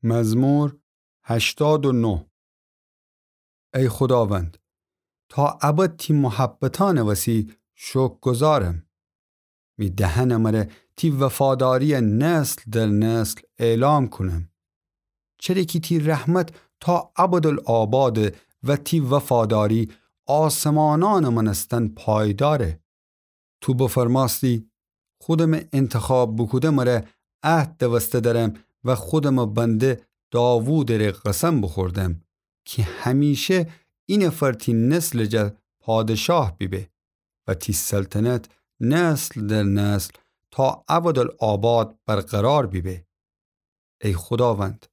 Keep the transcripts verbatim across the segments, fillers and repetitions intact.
مزمور هشتاد و نه. ای خوداوند، تا ابد تی محبتأنٚ وسی شکرگزارم. می دهنٚ مره تی وفاداریَ نسل در نسل اعلام کونم. چره کی تی رحمت تا ابدالآباده و تی وفاداری آسمانأنٚ مأنستن پایداره. تو بفرمأستی: خودمٚ انتخاب بوکوده مره عهد دوسته دأرم و خودمٚ بنده داوودٚ ره قسم بوخوردم کی همیشه اینفر تی نسلٚ جا پادشاه بیبه و تی سلطنت نسل در نسل تا ابدالآباد برقرار بیبه. ای خوداوند،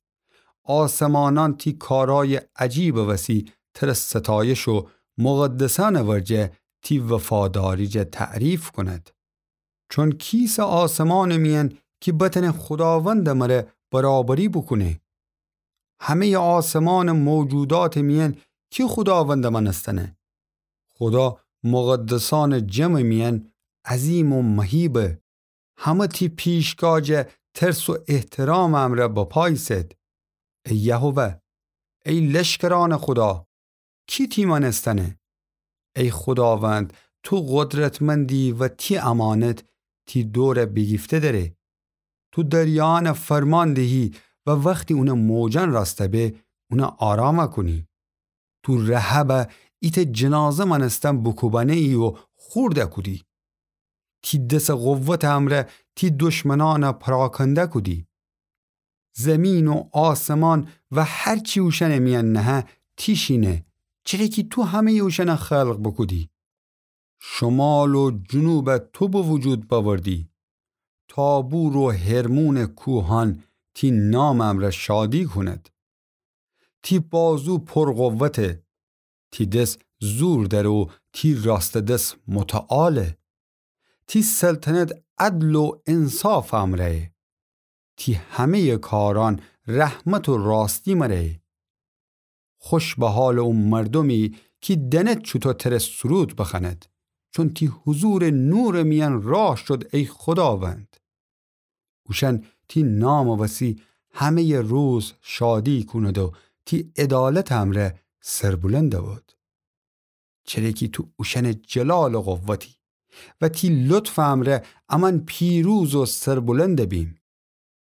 آسمانأن تی کارأیٚ عجیبٚ وسی تره ستایش و مقدسأنٚ ورجه تی وفاداری جا تعریف کونید. چون کیسه آسمانٚ میأن کی بتأنه خوداوندٚ مره برابری بوکونه؟ همه‌یٚ آسمانٚ موجوداتٚ میأن کی خوداوندٚ مأنستنه؟ خودا مقدسأنٚ جمعٚ میأن عظیم و مهیبه. همه تی پیشگاه جا ترس و احترامٚ امرأ بپا ایسد. ای یهوه، ای لشکرأنٚ خودا، کی تی مأنستنه؟ ای خوداوند، تو قدرتمندی و تی امانت تی دور بیگیفته دأره. تو دریایأن فرمان دهی و وختی اونٚ موجأن راسته به، اون آرام کونی. تو رهبٚ ایتأ جنازه مأنستن بوکوبأنه‌یی و خورد کودی. تی دسٚ قوتٚ امرأ تی دشمنأن پراکنده کودی. زیمین و آسمان و هر چی اوشأنٚ میأن نهه تی شینه، چره کی تو همه‌یٚ اوشأن خلق بوکودی. شمال و جنوب تو به وجود بأوردی. تابور و هرمونٚ کوهأن تی نامٚ امرأ شادی کونید. تی بازو پر قوته. تی دس زور دأره و تی راسته دس متعاله. تی سلطنت عدل و انصافٚ امرأیه. تی همه‌یٚ کارأن رحمت و راستی مرأیه. خوش به حالٚ او مردومی کی دأند چوطو تره سرود بخوأند، چون تی حضورٚ نورٚ میأن راه شد، ای خوداوند. اوشأن تی نامٚ وسی همه‌یٚ روز شادی کونید و تی عدالتٚ امرأ سربلند بید. چره کی تو اوشأنٚ جلالٚ قوتی و تی لطفٚ امرأ امأن پیروز و سربلند بیم.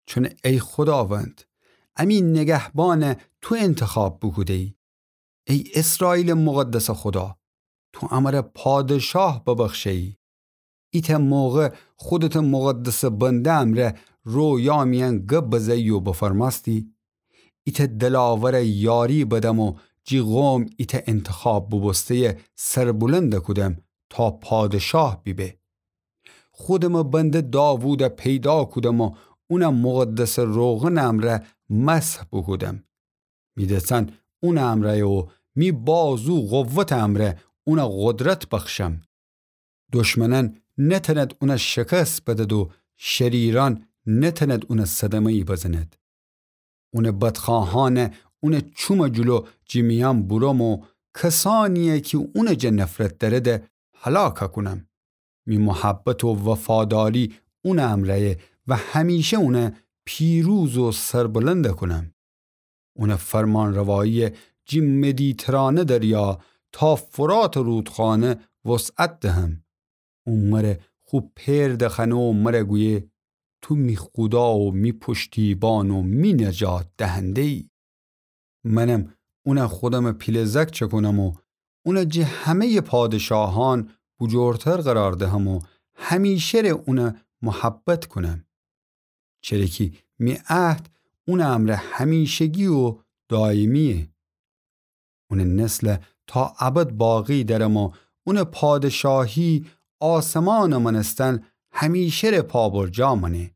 چون ای خوداوند، امی نگهبان تو انتخاب بوکوده‌یی. ای اسرائیلٚ مقدسٚ خودا، تو امرأ پادشاه ببخشه‌یی. ایتأ موقع خودتٚ مقدسٚ بنده امرأ رویا میأن گب بزه‌یی و بفرمأستی: ایتأ دلاورٚ یاری بدم و جی قوم ایتأ انتخاب بوبوسته‌یٚ سربلند کودم تا پادشاه بیبه. خودمٚ بنده داوود پیدا کودم و اون مقدسٚ روغنٚ امرأ مسح بوکودم. می دسأن اونٚ امرأیه و می بازو قوتٚ امرأ اون قدرت بخشم. دشمنأن نتأند اون شکست بدد و شریرأن نتأند اون صدمه‌یی بزند. اونٚ بدخواهأن اونٚ چومٚ جلو جی میأن بورم و کسأنیی کی اونٚ جا نفرت دأرد هلاک کونم. می محبت و وفاداری اونٚ امرأیه و همیشه اون پیروز و سربلند کونم. اونٚ فرمانروایی جی مدیترانه دریا تا فراتٚ رودخانه وسعت دهم. او مر خو پئر دخوأنه و مر گویه: تو می خودا و می پشتیبان و می نجات دهنده‌یی. منم اون خودمٚ پیله زأک چکونم و اون جی همه‌یٚ پادشاهأن بوجورتر قرار دهم و همیشه ره اون محبت کونم. چره کی می عهد اونٚ امرأ همیشگی و دایمییه. اونٚ نسل تا ابد باقی دأرم و اونٚ پادشاهی آسمانٚ مأنستن همیشه ره پابرجا مأنه.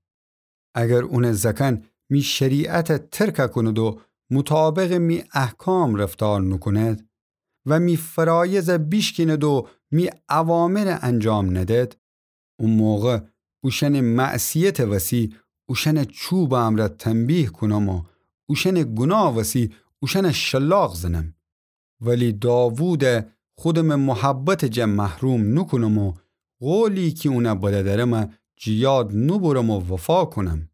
اگر اونٚ زأکأن می شریعت ترک کونید و مطابقٚ می احکام رفتار نوکونید و می فرایض بیشکینید و می اوامر انجام ندید، او موقع اوشأنٚ معصیتٚ وسی اوشأن چوبٚ امرأ تنبیه کونم و اوشأنٚ گوناه وسی اوشأن شلاق زنم. ولی داوود خودمٚ محبتٚ جا محروم نوکونم و قولی کی اون بده درم جی یاد نوبرم و وفا کونم.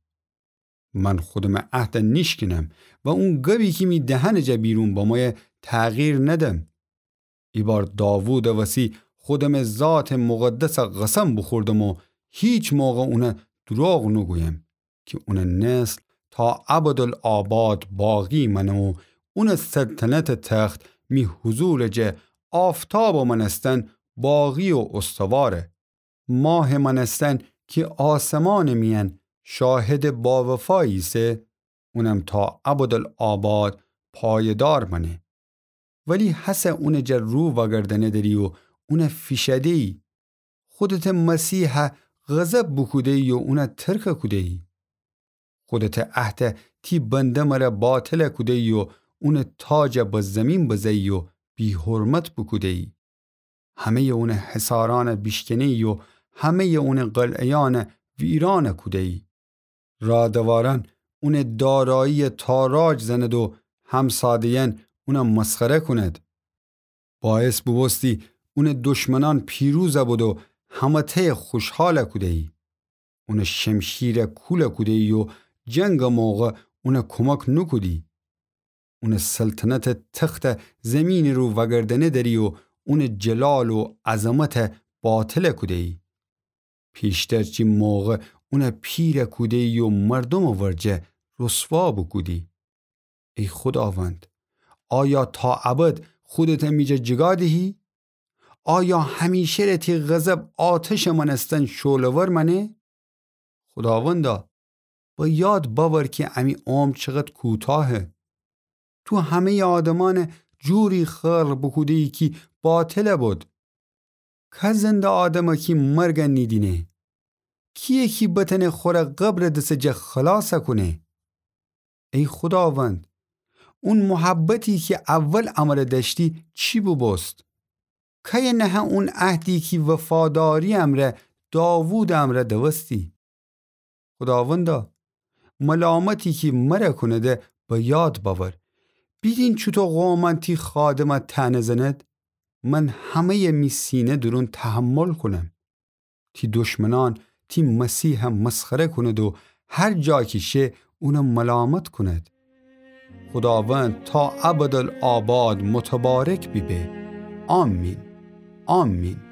من خودمٚ عهد نیشکنم و اون گبی کی می دهنٚ جا بیرون بمویه تغییر ندم. ایبار داوودٚ وسی خودمٚ ذاتٚ مقدس قسم بوخوردم و هیچ موقع اون دروغ نوگویم، کی اونٚ نسل تا ابدالآباد باقی مأنه و اونٚ سلطنتٚ تخت می حضورٚ جه آفتابٚ مأنستن باقی و استواره. ماهٚ مأنستن کی آسمانٚ میأن شاهدٚ باوفایی ایسه، اونم تا ابدالآباد پایه‌دار مأنه. ولی هسه اونٚ جا رو وأگردأنه‌دری و اون فیشأده‌یی. خودتٚ مسیح غضب بوکوده‌یی و اون ترک کوده‌یی. خودتٚ عهد تی بنده مره باطل کوده‌یی و اونٚ تاج به زیمین بزه‌یی و بی‌حرمت بوکوده‌یی. همه‌یٚ اونٚ حصارأن بیشکنه‌یی و همه‌یٚ اونٚ قلعه‌یأن ویرأن کوده‌یی. رادوارأن اونٚ دارایی تاراج زند و همساده‌یأن اون مسخره کونید. باعث بوبوستی اونٚ دشمنأن پیروز بد و همه‌تأ خوشحال کوده‌یی. اونٚ شمشیر کول کوده‌یی و جنگٚ موقع اون کمک نوکودی. اونٚ سلطنتٚ تخت زیمینٚ رو وأگردأنه‌دری و اونٚ جلال و عظمت باطل کوده‌یی. پیشتر چی موقع اون پیر کوده‌یی و مردومٚ ورجه رسوا بوکودی. ای خوداوند، آیا تا ابد خودت می جا جیگا دهی؟ آیا همیشه ره تی غضب آتشٚ مأنستن شعله‌ور مأنه؟ خوداوندا، به یاد بأور کی امی عمر چقد کوتاهه. تو همه‌یٚ آدمأن جوری خلق بوکوده‌یی کی باطل بد. که زنده آدمه کی مرگ نیدینه؟ کییه کی بتأنه خوره قبرٚ دسٚ جه خلاص کونه؟ ای خوداوند، اون محبتی کی اول امره دأشتی چی بوبوست؟ کیه نهه اون عهدی کی وفاداری امرأ داوودٚ امرأ دوستی؟ خوداوندا، ملامتی کی مره کونده به یاد بأور. بیدین چوطو قومأن تی خادمه طعنه زند؟ من همه‌یٚ می سینه دورون تحمل کونم. تی دشمنأن تی مسیح مسخره کونید و هر جا کی شه اون ملامت کونید. خوداوند تا ابدالآباد متبارک بیبه. آمین. آمین.